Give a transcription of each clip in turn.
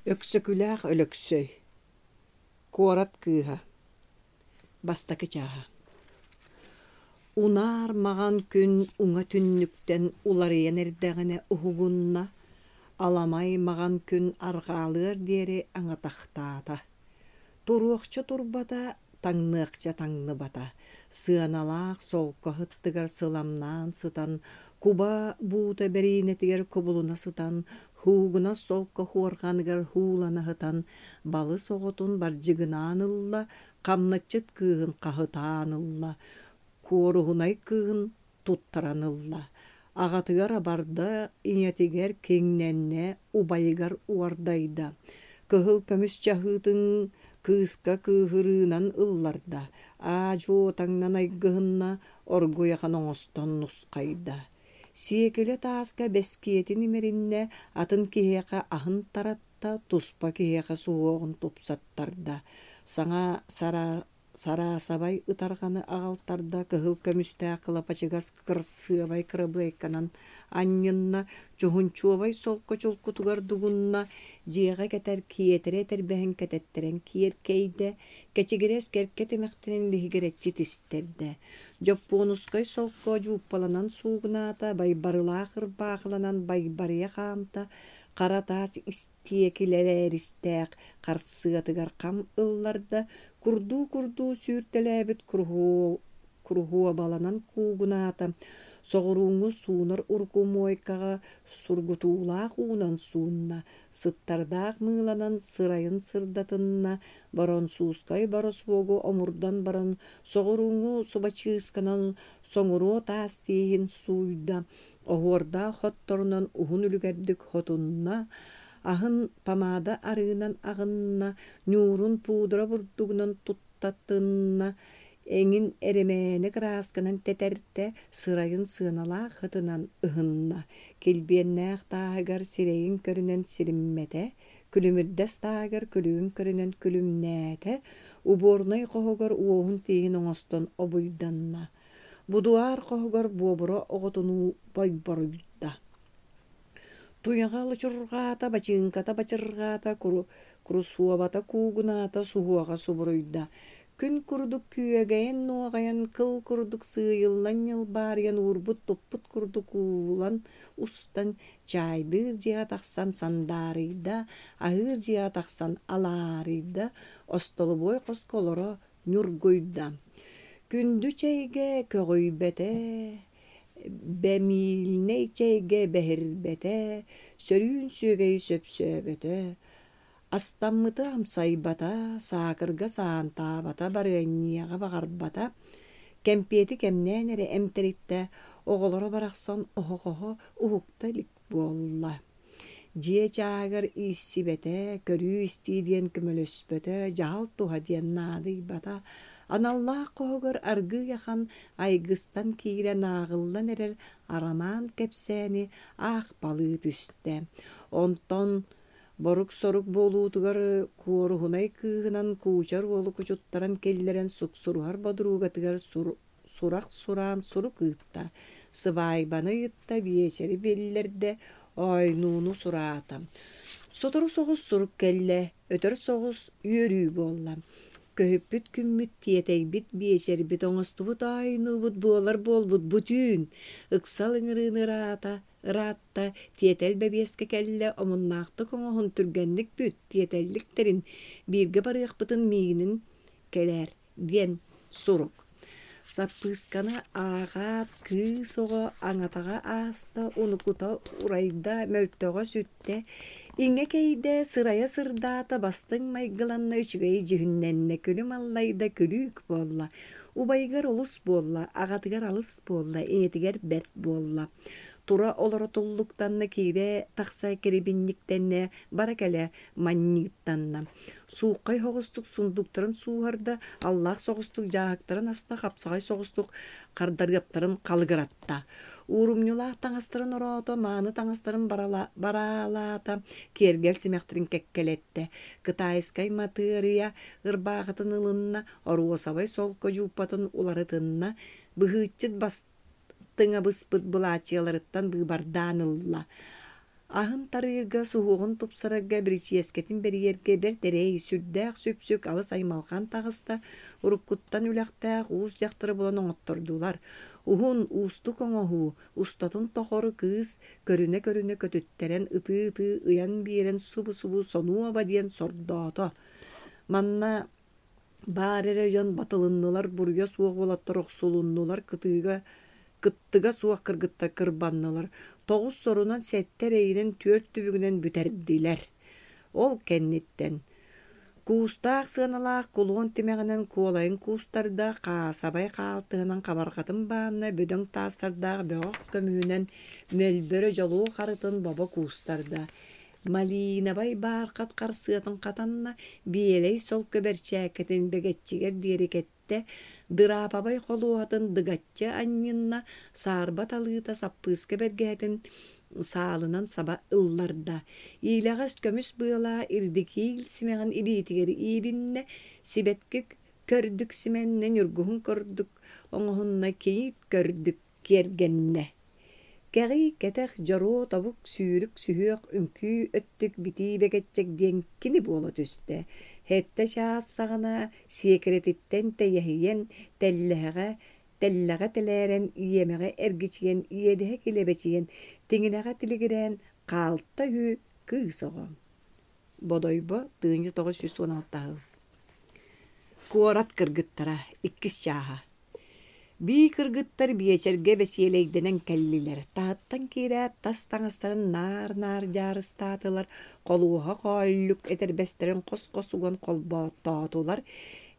Өксөкүлээх Өлөксөй Куорат кыыһа Бастакы чааһа Унаар маҕан күн уҥа түннүктэн уларыйан эрдэҕинэ уһугунна, аламай маҕан күн арҕаалыар диэри аҥатахтаата. Туруохча турбата, таҥныахча таҥныбата, сыаналаах солко ыттыгар сыламнаан сытан, куба буута бэриинэтигэр кубулуна сытан, һуугунас солко хуорҕаныгар һуулана сытан, балыс оҕотун бардьыгынаан ылла, хамначчыт кыыһын хаһытаан ылла, куоруһунай кыыһын туттаран ылла. Аҕатыгар абарда, ийэтигэр киҥнэннэ, убайыгар уордайда. Кыһыл көмүс чаһыытын кыыска кыыһырыынан ылларда, аа-дьуо таҥнан айгыһынна, оргуйахан оҥостон нусхайда. Сиэкилэ тааска бэскиэтин имэриннэ, атын киһиэхэ аһын таратта, туспа киһиэхэ суһуоҕун тупсаттарда. Саҥа сара Сараасабай ытарҕаны аҕалтарда кыһыл көмүстээх кылапачыгас кырасыабай кырабыайканан анньынна, чуһунчуобай солко чулкутугар дугунна, дьиэҕэ кэтэр киэтэрэ этэрбэһин кэтэттэрэн киэркэйдэ, кэчигирэс кэркэ тимэхтэрин лиһигирэччи тистэрдэ. Дьоппуонускай солко дьууппаланан суугунаата, байбарылаах ырбаахыланан байбарыйа хаамта, хара таас истиэкилэрэристээх харсыатыгар хам ылларда, курдуу-курдуу сүүртэлээбит куруһуобаланан куугунаата, соҕурууҥҥу суунар урукумуойкаҕа сургутуулаах уунан суунна, сыттардаах мыыланан сырайын сырдатынна, боронсуускай боросуогу омурдан баран соҕурууҥҥу субачыысканан соҥуруо таас тииһин сууйда, оһуордаах хотторунан уһун үлүгэрдик хотунна, аһын помада арыынан аҕынна, ньуурун пудра бурдугунан туттатынна, эҥин эрэмээнэ кыраасканан тэтэртэ, сырайын сыаналаах ытынан ыһынна, килбиэннээх тааһыгар сирэйин көрүнэн силиммэтэ, күлүмүрдэс тааһыгар күлүгүн көрүнэн күлүмнээтэ, уборнай хоһугар уоһун тииһин оҥостон обуйданна, будуар хоһугар буобура оҕотунуу бойборуйда. Туйаҕа лучурҕаата, бачыыҥката бачырҕаата, курусуобата куугунаата, суһуоҕа субуруйда. Күн курдук күөгэйэн-нуоҕайан, кыл курдук сыыйыллан ньылбаарыйан уурбут-туппут курдук уулан устан, чаайдыыр дьиэҕэ тахсан сандаарыйда, аһыыр дьиэҕэ тахсан алаарыйда, остолобуой хоско олоро ньургуйда. Күндү чэйгэ көҕүйбэтэ, бэмиильнэй чэйгэ бэһирбэтэ, сөрүүн сүөгэйи сөпсөөбөтө, астаммыты амсайбата, саакырга саантаабата, барыанньыйаҕа баҕарбата, кэмпиэти кэмнээн эрэ эмтэриттэ, оҕолоро барахсан оһоҕоһо уһукта илик буолла. Дьиэ чааһыгар ииссибэтэ, көрүү-истии диэн көмөлөспөтө, дьаһал туһа диэн наадыйбата, аналлаах хоһугар аргыый ахан айгыстан киирэн ааҕыллан эрэр арамаан кэпсээни аахпалыы түстэ. Онтон борук-сорук буолуутугар куоруһунай кыыһынан куучар уолу кучуттаран киллэрэн суксуруһар бодуругатыгар сурах сураан сурук ыытта, сыбаайбаны ыйытта, биэчэри биллэрдэ, оойнууну сураата. Сотору соҕус сурук кэллэ, өтөр соҕус үөрүү буолла. Көһүппүт күммүт, тиэтэйбит биэчэрбит, оҥостубут оойнуубут буолар буолбут бу түүн ыксал ыҥырыыны ыраата, ыраатта, тиэтэл бэбиэскэ кэллэ, омуннаахтык оҥоһун түргэнник бүт, тиэтэллик тэрин, бииргэ барыахпытын миигинин кэлээр диэн сурук. Саппыысканы ааҕаат, кыыс оҕо аҥатаҕа ааста, унукута урайда, мөлтөҕө сүттэ, иҥэ кэйдэ, сырайа сырдаата, бастыҥ майгыланна, үчүгэй дьүһүннэннэ, күлүм аллайда, күлүүк буолла, убайыгар олус буолла, аҕатыгар алыс буолла, ийэтигэр бэрт буолла. Тура олоро туллуктанна, киирэ тахса кирибинньиктэннэ, бара кэлэ манньыыттанна. Сууххай соҕустук сундууктарын сууһарда, аллаах соҕустук дьааһыктарын аста, хапсаҕай соҕустук хардарыаптарын халыгыратта. Уурумньулаах таҥастарын ороото, мааны таҥастарын бараалаата, киэргэл симэхтэрин кэккэлэттэ. Кытайскай матыарыйа ырбаахытын ылынна, оруосабай солко дьууппатын уларытынна, быһыыччыт бастыҥа быспыт былаачыйаларыттан быыбардаан ылла. Аһын тарыырга, суһуоҕун тупсарарга, биричиэскэтин бэрийэргэ бэрт эрэй, сүрдээх сүпсүк, алыс аймалҕан таҕыста. Уруккуттан үлэхтээх уус дьахтары булан оҥоттордулар. Уһун, уустук оҥоһуу, устатын тохору кыыс көрүнэ-көрүнэ көтүттэрэн, ытыы-ытыы ыйан биэрэн субу-субу сонуоба диэн сордоото. Манна баар эрэ дьон батылыннылар, буруйа суох уолаттар охсулуннулар, кытыыга кыттыга суох кыргыттар кырбаннылар, тоҕус сорунан сэттэ эрэйинэн түөрт түбүгүнэн бүтэрдилэр. Ол кэнниттэн куустаах сыаналаах кулуон тимэҕинэн куолайын куустарда, хаасабай хаалтыһынан хабарҕатын баанна, бөдөҥ таастардаах бөҕөх көмүһүнэн мөлбөрө дьолуо харытын бобо куустарда, малиинабай баархат харсыатын хатанна, биэлэй солко бэрчээккэтин бэгэччигэр диэри кэттэ, дыраапабай холуоһатын дыгаччы анньынна, саарба талыыта саппыыска бэргэһэтин саалынан саба ылларда, иилэҕэс көмүс быалаах ирдикиил симэҕин илиитигэр иилиннэ, сибэтки көрдүк симэннэ, ньургуһун курдук оҥоһунна, кийиит көрдүк киэргэннэ. Кэҕий, кэтэх, дьоруо, тобук, сүүрүк, сүһүөх, үҥкүү, өттүк, битии бэгэччэк диэн кини буола түстэ. Сэттэ чаас саҕана сиэкирэтиттэн тэйэһийэн, тэллэһэҕэ, тэллэҕэ тэлээрэн, иэмэҕэ эргичийэн, иэдэһэ килэбэчийэн, тиҥилэҕэ тилигирээн хаалта үһү кыыс оҕо. Бодойбо 1916 сыл. Куорат кыргыттара иккис чааһа. Бии кыргыттар биэчэргэ бэсиэлэйдэнэн кэллилэр, таһыттан киирээт тас таҥастарын наар-наар дьаарыстаатылар, холуоһа хоолльук этэрбэстэрин хос-хос уган холбооттоотулар,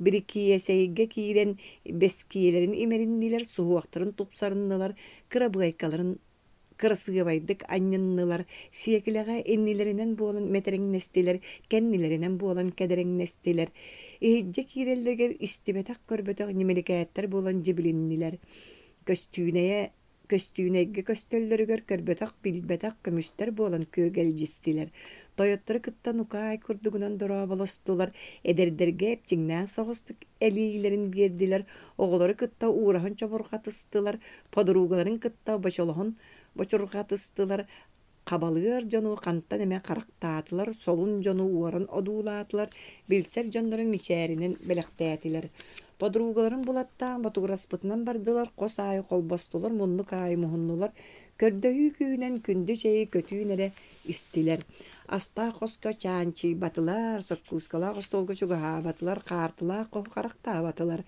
бирикиэсэйгэ киирэн бэскиэлэрин имэриннилэр, суһуохтарын тупсарыннылар, кырабыайкаларын кырасыабайдык анньыннылар, сиэкилэҕэ иннилэринэн буолан мэтэрэҥнэстилэр, кэннилэринэн буолан кэдэрэҥнэстилэр, иһирдьэ киирэллэригэр истибэтэх-көрбөтөх ньимиликээттэр буолан дьибилиннилэр. Көстүүнэйэ көстүүнэйгэ көстөллөрүгэр көрбөтөх-билбэтэх көмүстэр буолан күөгэлдьистилэр, тойоттору кытта нукаай курдугунан дорооболостулар, эдэрдэргэ эпчиҥнээх соҕустук элиилэрин биэрдилэр, оҕолору кытта уураһан чобурҕатыстылар, подругаларын кытта бочолоһон бочурҕатыстылар, хабалыар дьону хантан эмэ харахтаатылар, солун дьону уоран одуулаатылар, билсэр дьоннорун мичээринэн бэлэхтээтилэр. Подругаларын булаттаан ботугураспытынан бардылар, хос аайы холбостулар, муннук аайы муһуннулар, көрдөһүү күүһүнэн күндү чэйи көтүүн эрэ истилэр. Астаах хоско чаанчыйбатылар, соккуускалаах остуолга чугаһаабатылар, хаартылаах хоһу харахтаабатылар.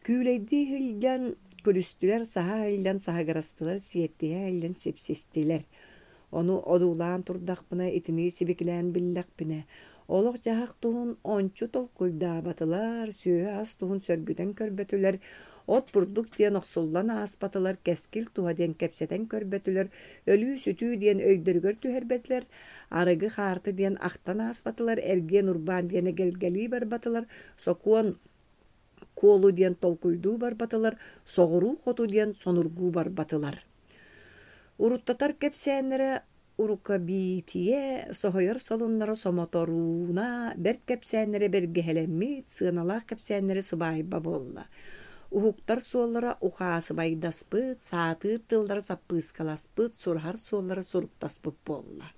Күүлэйдии сылдьан күлүстүлэр, саһа сылдьан саһыгырастылар, сиэттиһэ сылдьан сипсистилэр. Ону одуулаан турдахпына, итини сибикилээн биллэхпинэ, олох-дьаһах туһун ончу толкуйдаабатылар, сүөһү-ас туһун сөргүтэн көрбөтүлэр, от-бурдук диэн охсуллан ааспатылар, кэскил туһа диэн кэпсэтэн көрбөтүлэр, өлүү-сүтүү диэн өйдөрүгэр түһэрбэтилэр, арыгы-хаарты диэн ахтан ааспатылар, эргиэн-урбаан диэн эгэлгэлии барбатылар, сокуон куолу диэн толкуйдуу барбатылар, соҕуруу хоту диэн сонургуу барбатылар. Уруттатар кэпсээннэрэ урукабиитийэ, соһуйар солуннара сомоторууна, бэрт кэпсээннэрэ бэргэһэлэммит, сыаналаах кэпсээннэрэ сыбаайба буолла. Уһуктар суоллара ухаасыбайдаспыт, саатыыр тыллара саппыыскаласпыт, сураһар суоллара суруктаспыт буолла.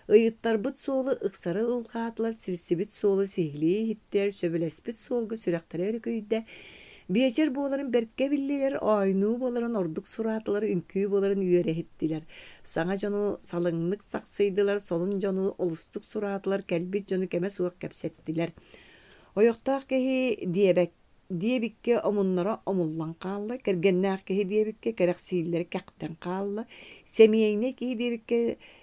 Ыйыттарбыт суолу ыксары ылҕаатылар, сирсибит суолу сиһилии иһиттилэр, сөбүлэспит суолга сүрэхтэрэ өрүкүйдэ. Биэчэр буоларын бэркэ биллилэр, оонньуу буоларын ордук сураатылар, үҥкүү буоларын үөрэ иһиттилэр. Саҥа дьону салыҥнык сахсыйдылар, солун дьону олустук сураатылар, кэлбит дьону кэмэ суох кэпсэттилэр. Ойохтоох киһи диэбэк диэбиккэ омуннара омуллан хаалла, кэргэннээх киһи диэбиккэ кэрэхсииллэрэ кэхтэн хаалла, сэмиэйнэй киһи диэбиккэ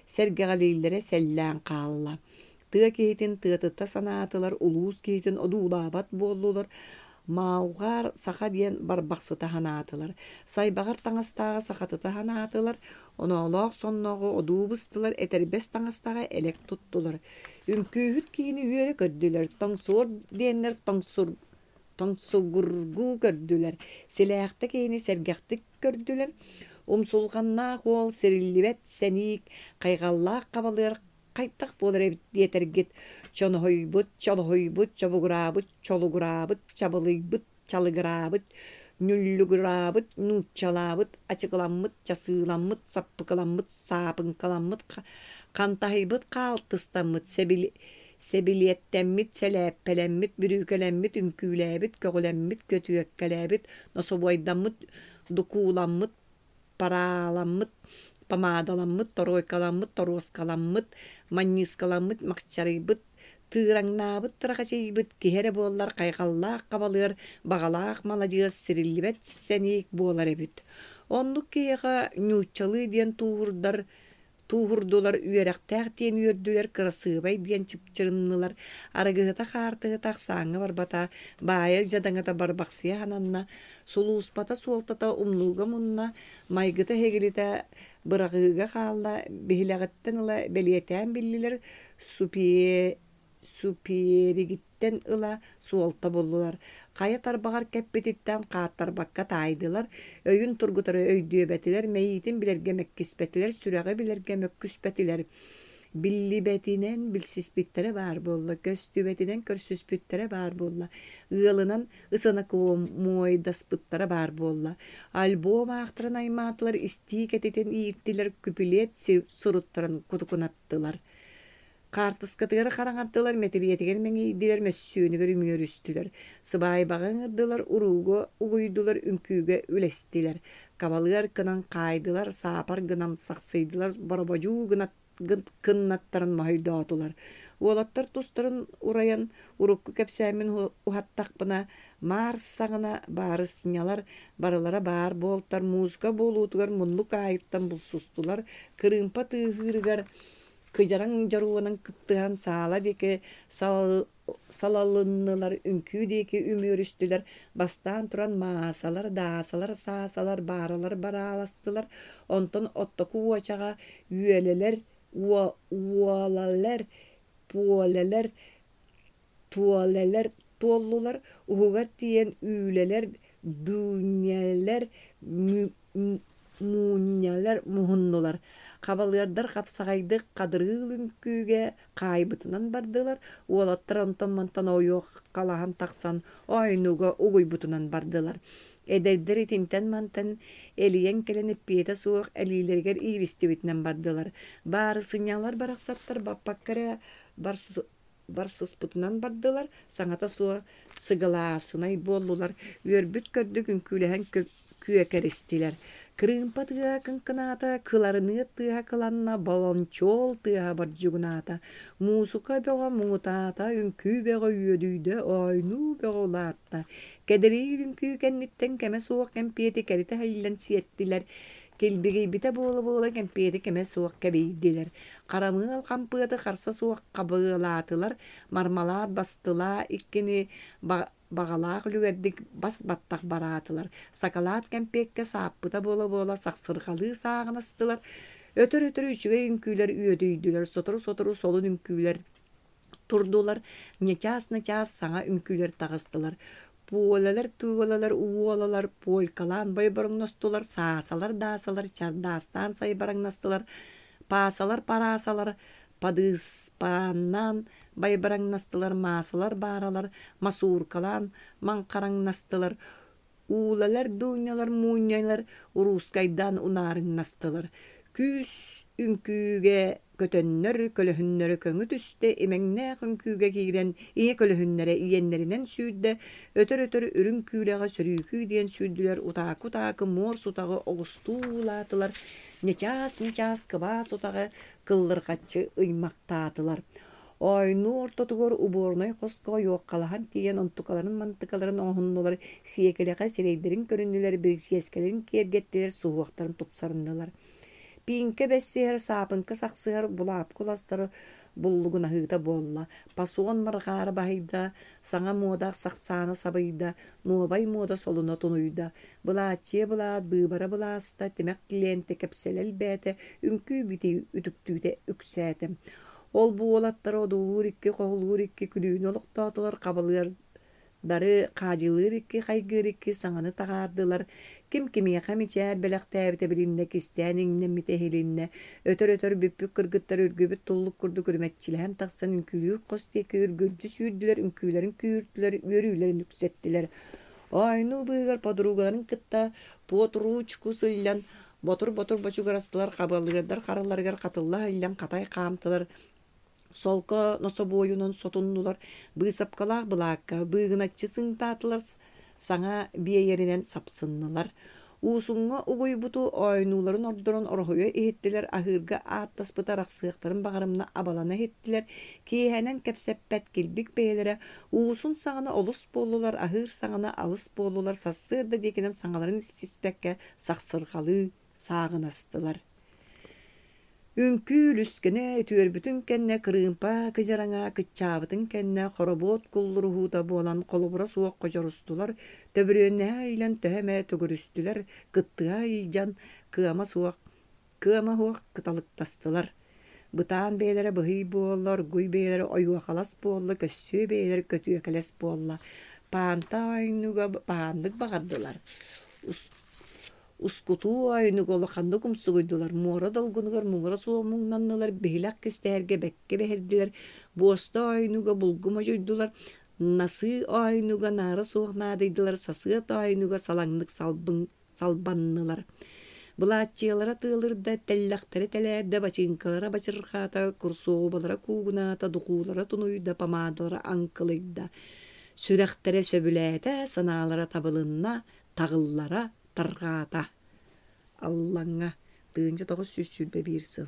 сэргэҕэлииллэрэ сэллээн хаалла. Тыа киһитин тыатыта санаатылар, улуус киһитин одуулаабат буоллулар, маалҕаар саха диэн барбахсыта санаатылар, сайбаҕар таҥастааҕы сахатыта санаатылар, оноолоох соннооҕу одуу быстылар, этэрбэс таҥастааҕы элэк туттулар. Үҥкүүһүт киһини үөрэ көрдүлэр, тоҥсуор диэннэр тоҥсур тоҥсугургуу көрдүлэр, силээхтэ киһини сэргэхтик көрдүлэр. Умсулҕаннаах уол сириллибэт сэниик, хайҕаллаах хабалыар хайдах буолар эбит диэтэргит, чоноһуйбут, чолоһуйбут, чобугураабыт, чолугураабыт, чабылыйбыт, чалыгыраабыт, ньуллугураабыт, нууччалаабыт, ачыкыламмыт, часыыламмыт, саппыкыламмыт, саапыҥкаламмыт, Хантаһыйбыт хаалтыстаммыт, сэбилиэттэммит, сэлээппэлэммит, бүрүүкэлэммит, үҥкүүлээбит, көҕүлэммит, көтүөккэлээбит, нособуойдаммыт, дукууламмыт, парааламмыт, помадаламмыт, торуойкаламмыт, торуоскаламмыт, манньыыскаламмыт, махчарыйбыт, тыыраҥнаабыт тырахачыйбыт киһи эрэ буоллар хайҕаллаах хабалыар, баҕалаах маладьыас, сириллибэт сэниик буолар эбит. Оннук киһиэхэ ньууччалыы диэн тууһурдар Тууһурдулар, үөрэхтээх диэн үөрдүлэр, кырасыабай диэн чыпчырыннылар, арыгыһыта-хаартыһыта ахсааҥҥа барбата, баайа-дьадаҥыта барбахсыйа сананна, сулууспата суолтата умнууга мунна, майгыта-эһигилитэ быраҕыыга хаалла, биһилэҕиттэн ыла бэлиэтээн биллилэр, Супиэригиттэн ыла суолта буллулар, хайа тарбаҕар кэппититтэн хааттарбакка таайдылар, өйүн тургутары өйдүөбэтилэр, мэйиитин билэргэ мэккиспэтилэр, сүрэҕи билэргэ мөккүспэтилэр. Биллибэтинэн билсиспиттэрэ баар буолла, көстүбэтинэн көрсүспүттэрэ баар буолла, ыалынан ысынакомуойдаспыттара баар буолла. Альбом аахтаран аймаатылар, истии кэтитин ииртилэр, күпүлүөт суруттаран кутукунаттылар. Хаартыскатыгар хараҥардылар, мэтириэтигэр мэҥийдилэр, мөссүөнүгэр үмүөрүстүлэр, сыбаайбаҕа ыҥырдылар, урууга угуйдулар, үҥкүүгэ үлэстилэр, кабалыар гынан хаайдылар, саапар гынан сахсыйдылар, борободьуу кыннаттарын моһойдоотулар. Уолаттар тустарын урайан, урукку кэпсээммин уһаттахпына, маар саҕана баарыснялар барылара баар буолтар, музыка буолуутугар муннук аайыттан булсустулар, кырыымпа тыаһыырыгар Кыдьараҥ дьоруонан кыттыһан саала диэки салалыннылар, үҥкүү диэки үмүөрүстүлэр, бастаан туран маасалар, даасалар, саасалар, бааралар барааластылар, онтон оттоку уочаҕа үөлэлэр, уолалэр, пуолэлэр, туолэлэр туоллулар, уһугар тиийэн үүлэлэр, дүүнньэлэр, муунньалар муһуннулар. Хабалыардар хапсаҕайдык хадырыыл үҥкүүгэ хаайбытынан бардылар, уолаттар онтон-мантан ойуоккалаһан тахсан оойнууга угуйбутунан бардылар. Эдэрдэр итинтэн-мантан элийэн кэлэн эппиэтэ суох элиилэригэр ииристибитинэн бардылар. Баарысынньалар барахсаттар баппакка эрэ барсыспытынан бардылар, саҥата суох сыгылаасынай буоллулар, үөрбүт-көрдүк үҥкүүлэһэн күөкэристилэр. Кырыымпа тыаһа кыҥкынаата, кыларыныат тыаһа кыланна, болончуол тыаһа бордьугунаата, муусука бөҕө муҥутаата, үҥкүү бөҕө үөдүйдэ, оойнуу бөҕө улаатта. Кэдэриир үҥкүү кэнниттэн кэмэ суох кэмпиэти кэритэ иһиллэн сиэттилэр, килбигийбитэ буола-буола кэмпиэти кэмэ суох кэбийдилэр. Харамыал хампыаты харса суох хабыалаатылар, мармалаат бастылаа иккини баҕалаах үлүгэрдик бас баттах бараатылар, сакалаат кэмпиэккэ сааппыта буола-буола сахсырҕалыы сааҕынастылар, өтөр-өтөр үчүгэй үҥкүүлэр үөдүйдүлэр, сотору-сотору солун үҥкүүлэр турдулар, ньычаас-ньычаас саҥа үҥкүүлэр таҕыстылар. Пуолалар, туолалар, уолалар полькалаан бойбороҥностулар, саасалар, даасалар чардаастаан сайбараҥнастылар, паасалар, параасалар падыыспааннаан байбараҥнастылар, маасалар, бааралар масууркалаан маҥхараҥнастылар, Уулалар, дуунньалар, муунньалар уруускайдаан унаарыҥнастылар, күүс үҥкүүгэ көтөннөр, көлөһүннэрэ көҥү түстэ, имэҥнээх үҥкүүгэ киирэн ийэ көлөһүннэрэ иэннэринэн сүүрдэ, өтөр-өтөр үрүҥ күүлэҕэ сөрүүкүү диэн сүүрдүлэр, утаакы-утаакы муор сутаҕы оҕустуу уулаатылар, ньычаас-ньычаас кыбаас утаҕы кыллырҕаччы ыймахтаатылар. Оойнуу ортотугар убуорунай хоско ойуоккалаһан тиийэн онтукаларын-мантыкаларын оҥоһуннулар, сиэкилэҕэ сирэйдэрин көрүннүлэр, биричиэскэлэрин киэргэттилэр, суһуохтарын тупсарыннылар. Пииҥкэ бэссиһэр, саапыҥка сахсыһар, булаапка уластары буллугунаһыыта буолла, пасуон марҕаара баһыйда, саҥа муода сахсаана сабыйда, нуобай муода солуна тунуйда, былааччыйа былаат быыбара былааста, тимэх лиэнтэ кэпсэлэ элбээтэ, үҥкүү-битии үтүктүүтэ үксээтэ. Ол-бу уолаттары одуулуур икки, хоһулуур икки күлүүнү олохтоотулар, хабылыардары хаадьылыыр икки, хайгыыр икки саҥаны таһаардылар, ким кимиэхэ мичээр бэлэхтээбитэ билиннэ, кистээн иҥнэммитэ иһилиннэ, өтөр-өтөр бүппүт кыргыттар үргүбүт туллук курдук үрүмэччилэһэн тахсан үҥкүүлүүр хос диэки үргүлдьү сүүрдүлэр, үҥкүүлэрин күүртүлэр, үөрүүлэрин үксэттилэр. Оойнуу быыһыгар подругаларын кытта под ручку сылльан. Ботур-ботур бочугурастылар, хабыалыырдар харыларыгар хатылла иһиллэн хатай хаамтылар, солко нособуойунан сотуннулар, быысапкалаах былаакка быыгыначчы сыҥтаатылар, саҥа биэйэринэн сапсыннылар. Уусуҥҥа угуйбуту оойнууларын ордорон ороһуйа иһиттилэр, аһыырга ааттаспыты арахсыахтарын баҕарымна абалана иһиттилэр, киэһэнэн кэпсэппэт килбик бэйэлэрэ уусун саҕана олус буоллулар, аһыыр саҕана алыс буоллулар, сарсыарда диэкинэн саҥаларын сиспэккэ сахсырҕалыы сааҕынастылар. Үҥкүү үлүскэнэ үтүөрбүтүн кэннэ кырыымпа кыдьараҥа кыччаабытын кэннэ хоробуот куллуруһуута буолан холобура суох хочорустулар, төбүрүөннэһэ илэн төһө эмэ төгүрүстүлэр, кыттыһа илдьэн кыама суох кыама суох кыталыктастылар. Бытаан бэйэлэрэ быһый буолла, оргуй бэйэлэрэ ойуохалас буолла, көссүө бэйэлэрэ көтүөкэлэс буолла. Паанта оонньууга баһааннык баҕардылар. Ускутуу оойунуга улаханнык умсугуйдулар, муора долгунугар муҥура суох муҥнаннылар, биһилэх кистэһэргэ бэккэ бэһирдилэр, буоста оойунуга булгу модьуйдулар, насыы оойунуга наара суох наадыйдылар, сасыат оойунуга салаҥнык салбыҥ салбаннылар. Былааччыйалара тыалырда, тэллэхтэрэ тэлээрдэ, бачыыҥкалара бачырҕаата, курсуобалара куугунаата, духуулара тунуйда, помадалара аҥкылыйда. Сүрэхтэрэ сөбүлээтэ, санаалара табылынна, таҕыллара тарҕаата. Аллаҥҥа 1921 сыл.